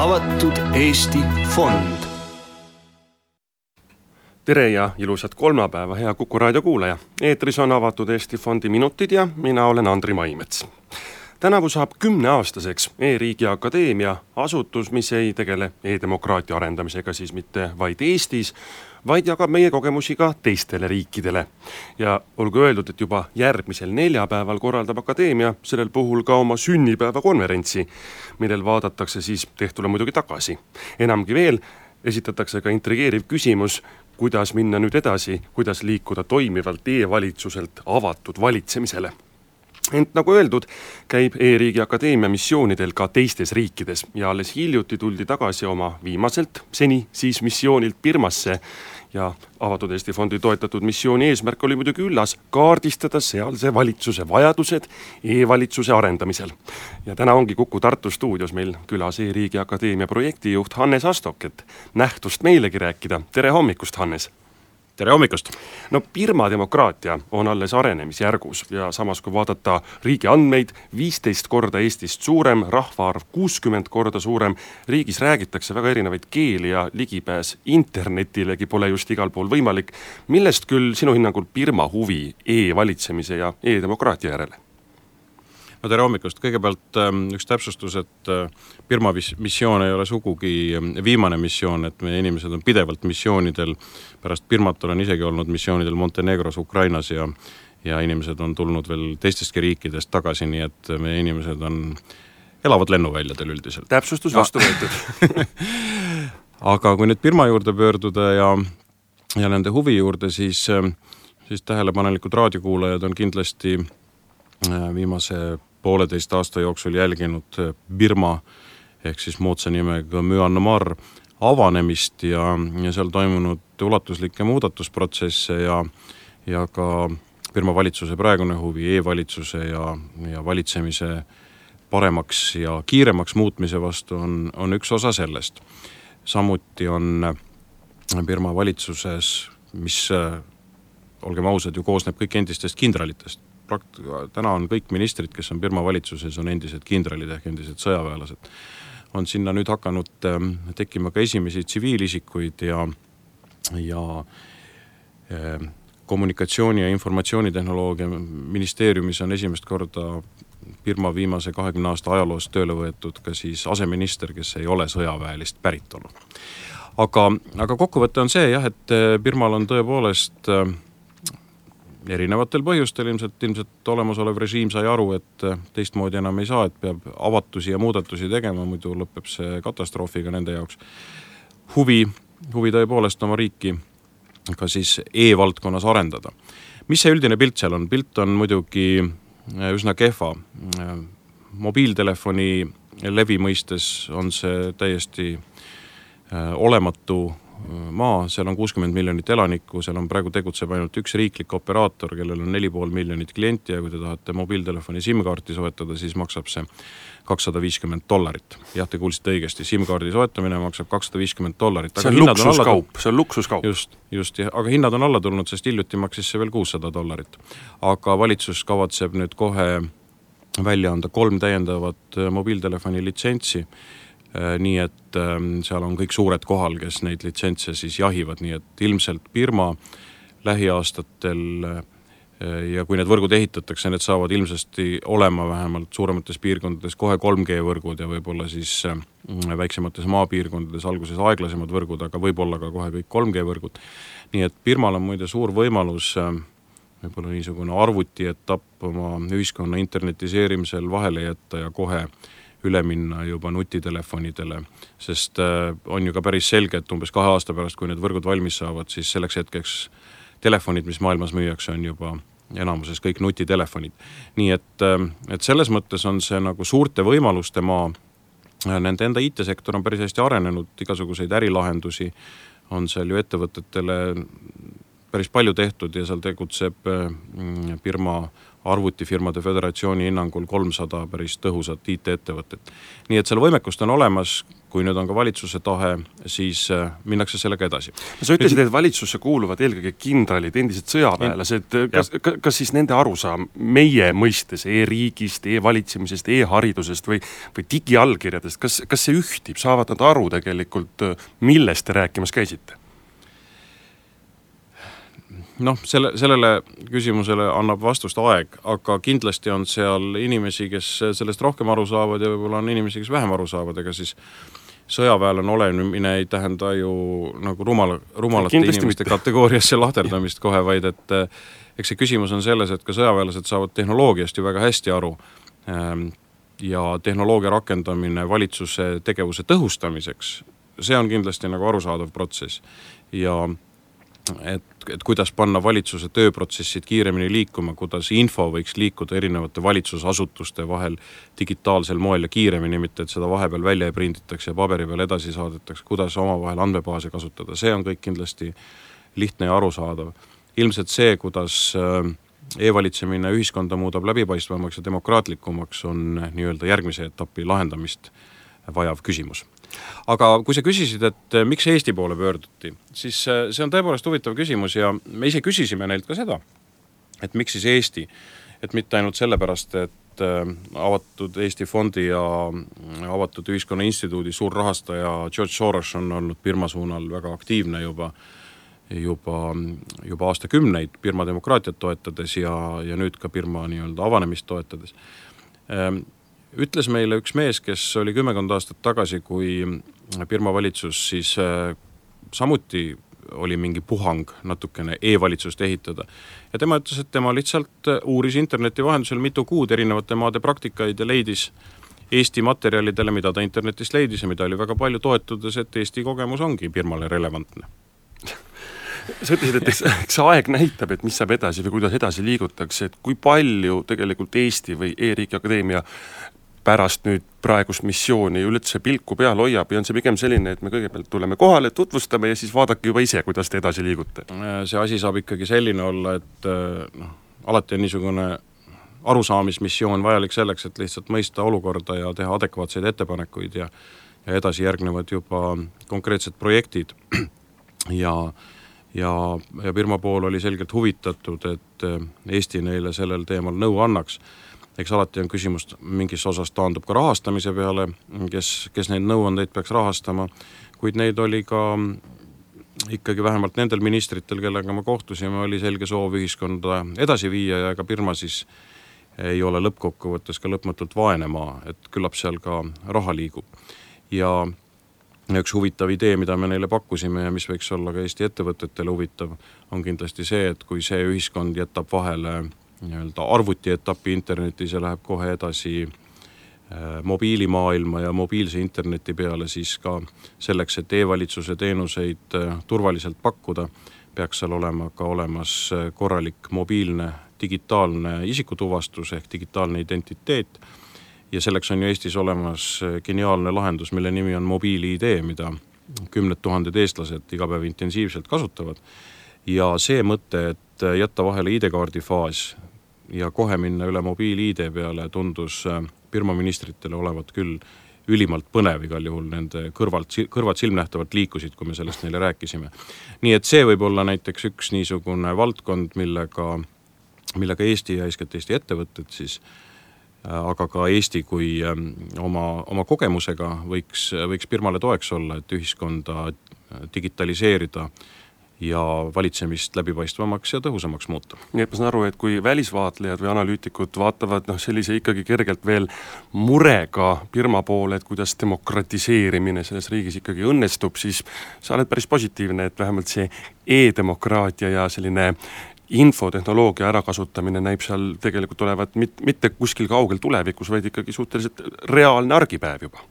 Avatud Eesti Fond. Tere ja ilusat kolmapäeva, hea Kuku raadio kuulaja. Eetris on Avatud Eesti Fondi minutid ja mina olen Andri Maimets. Tänavu saab 10-aastaseks E-riigi akadeemia, asutus, mis ei tegele e-demokraatia arendamisega siis mitte vaid Eestis, vaid jagab meie kogemusi ka teistele riikidele. Ja olgu öeldud, et juba järgmisel neljapäeval korraldab akadeemia sellel puhul ka oma sünnipäeva konverentsi, millel vaadatakse siis tehtule muidugi tagasi. Enamgi veel, esitatakse ka intrigeeriv küsimus, kuidas minna nüüd edasi, kuidas liikuda toimivalt e-valitsuselt avatud valitsemisele. Ent nagu öeldud, käib E-riigi akadeemia missioonidel ka teistes riikides ja alles hiljuti tuldi tagasi oma viimaselt, seni siis missioonilt Birmasse ja Avatud Eesti Fondi toetatud missiooni eesmärk oli muidugi üllas kaardistada sealse valitsuse vajadused e-valitsuse arendamisel. Ja täna ongi Kuku Tartu stuudios meil külas E-riigi akadeemia projektijuht Hannes Astok, et nähtust meilegi rääkida. Tere hommikust, Hannes! Tere hommikust! No Birma demokraatia on alles arenemisjärgus ja samas kui vaadata riigi andmeid, 15 korda Eestist suurem, rahvaarv 60 korda suurem, riigis räägitakse väga erinevaid keeli ja ligipääs internetilegi pole just igal pool võimalik. Millest küll sinu hinnangul Birma huvi e-valitsemise ja e-demokraatia järele? No tere hommikust. Kõigepealt üks täpsustus, et Birma missioon ei ole sugugi viimane missioon, et meie inimesed on pidevalt missioonidel. Pärast Birmat olen isegi olnud missioonidel Montenegros, Ukrainas ja inimesed on tulnud veel teistestki riikidest tagasi, nii et meie inimesed elavad lennuväljadel üldiselt. Täpsustus vastu võetud. Aga kui nüüd Birma juurde pöörduda ja nende huvi juurde, siis tähelepanelikud raadiokuulajad on kindlasti viimase 1,5 aasta jooksul jälginud Birma ehk siis moodsa nimega Myanmar avanemist ja seal toimunud ulatuslikke muudatusprotsesse ja ka Birma valitsuse praegune huvi e-valitsuse ja valitsemise paremaks ja kiiremaks muutmise vastu on üks osa sellest. Samuti on Birma valitsuses, mis olgem ausad, ju koosneb kõik endistest kindralitest. Täna on kõik ministrid, kes on Birma valitsuses, on endised kindralid ehk endised sõjaväelased. On sinna nüüd hakanud tekkima ka esimesi tsiviilisikuid ja kommunikatsiooni- ja informatsioonitehnoloogia ministeeriumis on esimest korda Birma viimase 20 aasta ajaloost tööle võetud ka siis aseminister, kes ei ole sõjaväelist päritolu. Aga kokkuvõte on see, et Birmal on tõepoolest erinevatel põhjustel ilmselt olemasolev režiim sai aru, et teistmoodi enam ei saa, et peab avatusi ja muudatusi tegema, muidu lõpeb see katastroofiga nende jaoks. Huvi tõepoolest oma riiki ka siis e-valdkonnas arendada. Mis see üldine pilt seal on? Pilt on muidugi üsna kehva. Mobiiltelefoni levi mõistes on see täiesti olematu maa, seal on 60 miljonit elanikku, seal on praegu tegutseb ainult üks riiklik operaator, kellel on 4,5 miljonit klienti ja kui te tahate mobiiltelefoni SIM-kaarti soetada, siis maksab see $250. Jah, te kuulsite õigesti, SIM-kaardi soetamine maksab $250. See on luksuskaup, see on luksuskaup. Just, aga hinnad on alla tulnud, sest hiljuti maksis see veel $600. Aga valitsus kavatseb nüüd kohe välja anda 3 täiendavat mobiiltelefoni litsentsi, nii et seal on kõik suured kohal, kes neid litsentse siis jahivad, nii et ilmselt Birma lähiaastatel ja kui need võrgud ehitatakse, need saavad ilmsesti olema vähemalt suuremates piirkondades kohe 3G-võrgud ja võib-olla siis väiksemates maapiirkondades alguses aeglasemad võrgud, aga võib-olla ka kohe kõik 3G-võrgud. Nii et Birmal on muide suur võimalus võib-olla niisugune arvutietapp oma ühiskonna internetiseerimisel vahele jätta ja kohe üle minna juba nutitelefonidele, sest on ju ka päris selge, et umbes 2 aasta pärast, kui need võrgud valmis saavad, siis selleks hetkeks telefonid, mis maailmas müüakse, on juba enamuses kõik nutitelefonid. Nii et selles mõttes on see nagu suurte võimaluste maa. Nende enda IT-sektor on päris hästi arenenud, igasuguseid ärilahendusi on seal ju ettevõtetele päris palju tehtud ja seal tegutseb arvutifirmade föderatsiooni hinnangul 300 päris tõhusat IT-ettevõtet. Nii et seal võimekust on olemas, kui nüüd on ka valitsuse tahe, siis minnakse sellega edasi. Sa ütlesid, et valitsusse kuuluvad eelkõige kindralid, endised sõjaväelased. Kas siis nende arusaam meie mõistes e-riigist, e-valitsemisest, e-haridusest või digiallkirjadest, kas see ühtib, saavad nad aru tegelikult, millest te rääkimas käisite? Sellele küsimusele annab vastust aeg, aga kindlasti on seal inimesi, kes sellest rohkem aru saavad ja võib-olla on inimesi, kes vähem aru saavad, ega siis sõjaväelane olemine ei tähenda ju nagu rumalate inimeste kategooriasse lahterdamist kohe, vaid et eks see küsimus on selles, et ka sõjaväelased saavad tehnoloogiast ju väga hästi aru ja tehnoloogia rakendamine valitsuse tegevuse tõhustamiseks, see on kindlasti nagu arusaadav protsess ja et kuidas panna valitsuse tööprotsessid kiiremini liikuma, kuidas info võiks liikuda erinevate valitsusasutuste vahel digitaalsel moel ja kiiremini, mitte et seda vahepeal välja prinditakse ja paberi peal edasi saadetakse, kuidas omavahel andmebaase kasutada, see on kõik kindlasti lihtne ja arusaadav. Ilmselt see, kuidas e-valitsemine ühiskonda muudab läbipaistvamaks ja demokraatlikumaks, on nii-öelda järgmise etapi lahendamist vajav küsimus. Aga kui sa küsisid, et miks Eesti poole pöörduti, siis see on tõepoolest huvitav küsimus ja me ise küsisime neilt ka seda, et miks siis Eesti, et mitte ainult sellepärast, et avatud Eesti fondi ja avatud ühiskonna instituudi suur rahastaja George Soros on olnud Birma suunal väga aktiivne juba aastakümneid Birma demokraatiat toetades ja nüüd ka Birma nii-öelda avanemist toetades. Ütles meile üks mees, kes oli 10 aastat tagasi, kui Birma valitsus siis samuti oli mingi puhang natukene e-valitsust ehitada. Ja tema ütles, et tema lihtsalt uuris interneti vahendusel mitu kuud erinevate maade praktikaid ja leidis Eesti materjalidele, mida ta internetist leidis ja mida oli väga palju toetudes, et Eesti kogemus ongi Birmale relevantne. Sa ütlesid, et eks aeg näitab, et mis saab edasi või kuidas edasi liigutakse, et kui palju tegelikult Eesti või E-riigi Akadeemia pärast nüüd praegust missiooni üldse pilku peal hoiab ja on see pigem selline, et me kõigepealt tuleme kohale, tutvustame ja siis vaadake juba ise, kuidas te edasi liigute. See asi saab ikkagi selline olla, et alati on niisugune arusaamismissioon vajalik selleks, et lihtsalt mõista olukorda ja teha adekvaatseid ettepanekuid ja edasi järgnevad juba konkreetsed projektid ja Birma pool oli selgelt huvitatud, et Eesti neile sellel teemal nõu annaks. Eks alati on küsimus, mingis osas taandub ka rahastamise peale, kes neid nõuandeid peaks rahastama, kuid neid oli ka ikkagi vähemalt nendel ministritel, kellega ma kohtusime, oli selge soov ühiskonda edasi viia ja ega Birma siis ei ole lõppkokkuvõttes ka lõpmatult vaene maa, et küllap seal ka raha liigub. Ja üks huvitav idee, mida me neile pakkusime ja mis võiks olla ka Eesti ettevõtetele huvitav, on kindlasti see, et kui see ühiskond jätab vahele nii-öelda arvuti etapi internetis ja läheb kohe edasi mobiilimaailma ja mobiilse interneti peale, siis ka selleks, et e-valitsuse teenuseid turvaliselt pakkuda, peaks seal olema ka olemas korralik mobiilne digitaalne isikutuvastus ehk digitaalne identiteet ja selleks on ju Eestis olemas geniaalne lahendus, mille nimi on mobiil-ID, mida 10 000 eestlased iga päev intensiivselt kasutavad ja see mõte, et jätta vahele ID-kaardi faas ja kohe minna üle mobiil-ID peale tundus Birma ministritele olevat küll ülimalt põnev igal juhul, nende kõrvad silmnähtavalt liikusid, kui me sellest neile rääkisime. Nii et see võib olla näiteks üks niisugune valdkond, millega Eesti ja eeskätt Eesti ettevõtted siis, aga ka Eesti kui oma kogemusega võiks Birmale toeks olla, et ühiskonda digitaliseerida ja valitsemist läbipaistvamaks ja tõhusamaks muuta. Nii et ma saan aru, et kui välisvaatlejad või analüütikud vaatavad sellise ikkagi kergelt veel murega Birma poole, et kuidas demokratiseerimine selles riigis ikkagi õnnestub, siis sa oled päris positiivne, et vähemalt see e-demokraatia ja selline infotehnoloogia ärakasutamine näib seal tegelikult olevat mitte kuskil kaugel tulevikus, vaid ikkagi suhteliselt reaalne argipäev juba.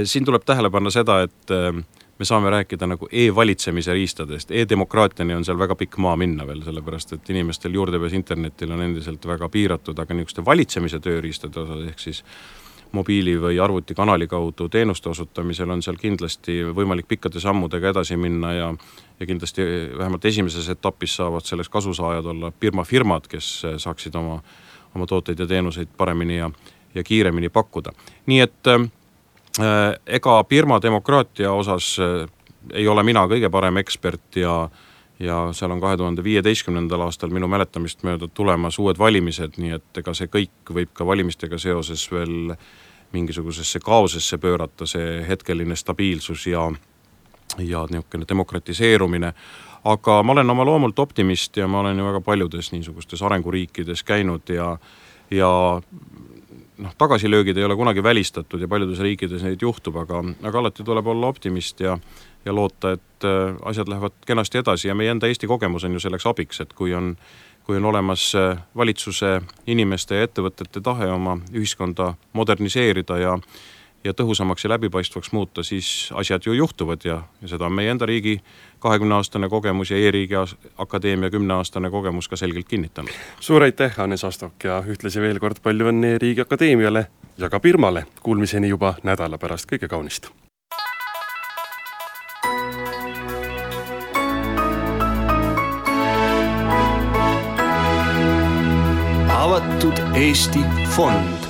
Siin tuleb tähele panna seda, et me saame rääkida nagu e-valitsemise riistadest. E-demokraatiani on seal väga pikk maa minna veel, sellepärast et inimestel juurdepääs internetil on endiselt väga piiratud, aga niisuguste valitsemise tööriistade osas ehk siis mobiili või arvutikanali kaudu teenuste osutamisel, on seal kindlasti võimalik pikkade sammudega edasi minna ja kindlasti vähemalt esimeses etapis saavad selles kasusaajad olla firmad, kes saaksid oma tooteid ja teenuseid paremini ja kiiremini pakkuda. Nii et ega firma demokraatia osas ei ole mina kõige parem ekspert ja seal on 2015. aastal minu mäletamist mööda tulemas uued valimised, nii et ega see kõik võib ka valimistega seoses veel mingisugusesse kaosesse pöörata, see hetkeline stabiilsus ja niisugune demokratiseerumine. Aga ma olen oma loomult optimist ja ma olen ju väga paljudes niisugustes arenguriikides käinud ja tagasilöögid ei ole kunagi välistatud ja paljudes riikides neid juhtub, aga alati tuleb olla optimist ja loota, et asjad lähevad kenasti edasi ja meie enda Eesti kogemus on ju selleks abiks, et kui on olemas valitsuse, inimeste ja ettevõtete tahe oma ühiskonda moderniseerida ja tõhusamaks ja läbipaistvaks muuta, siis asjad ju juhtuvad ja seda on meie enda riigi 20-aastane kogemus ja E-riigi akadeemia 10-aastane kogemus ka selgelt kinnitanud. Suur aitäh, Hannes Astok, ja ühtlasi veel kord palju õnne E-riigi akadeemiale ja ka Pirmale. Kuulmiseni juba nädala pärast, kõige kaunist. Avatud Eesti fond.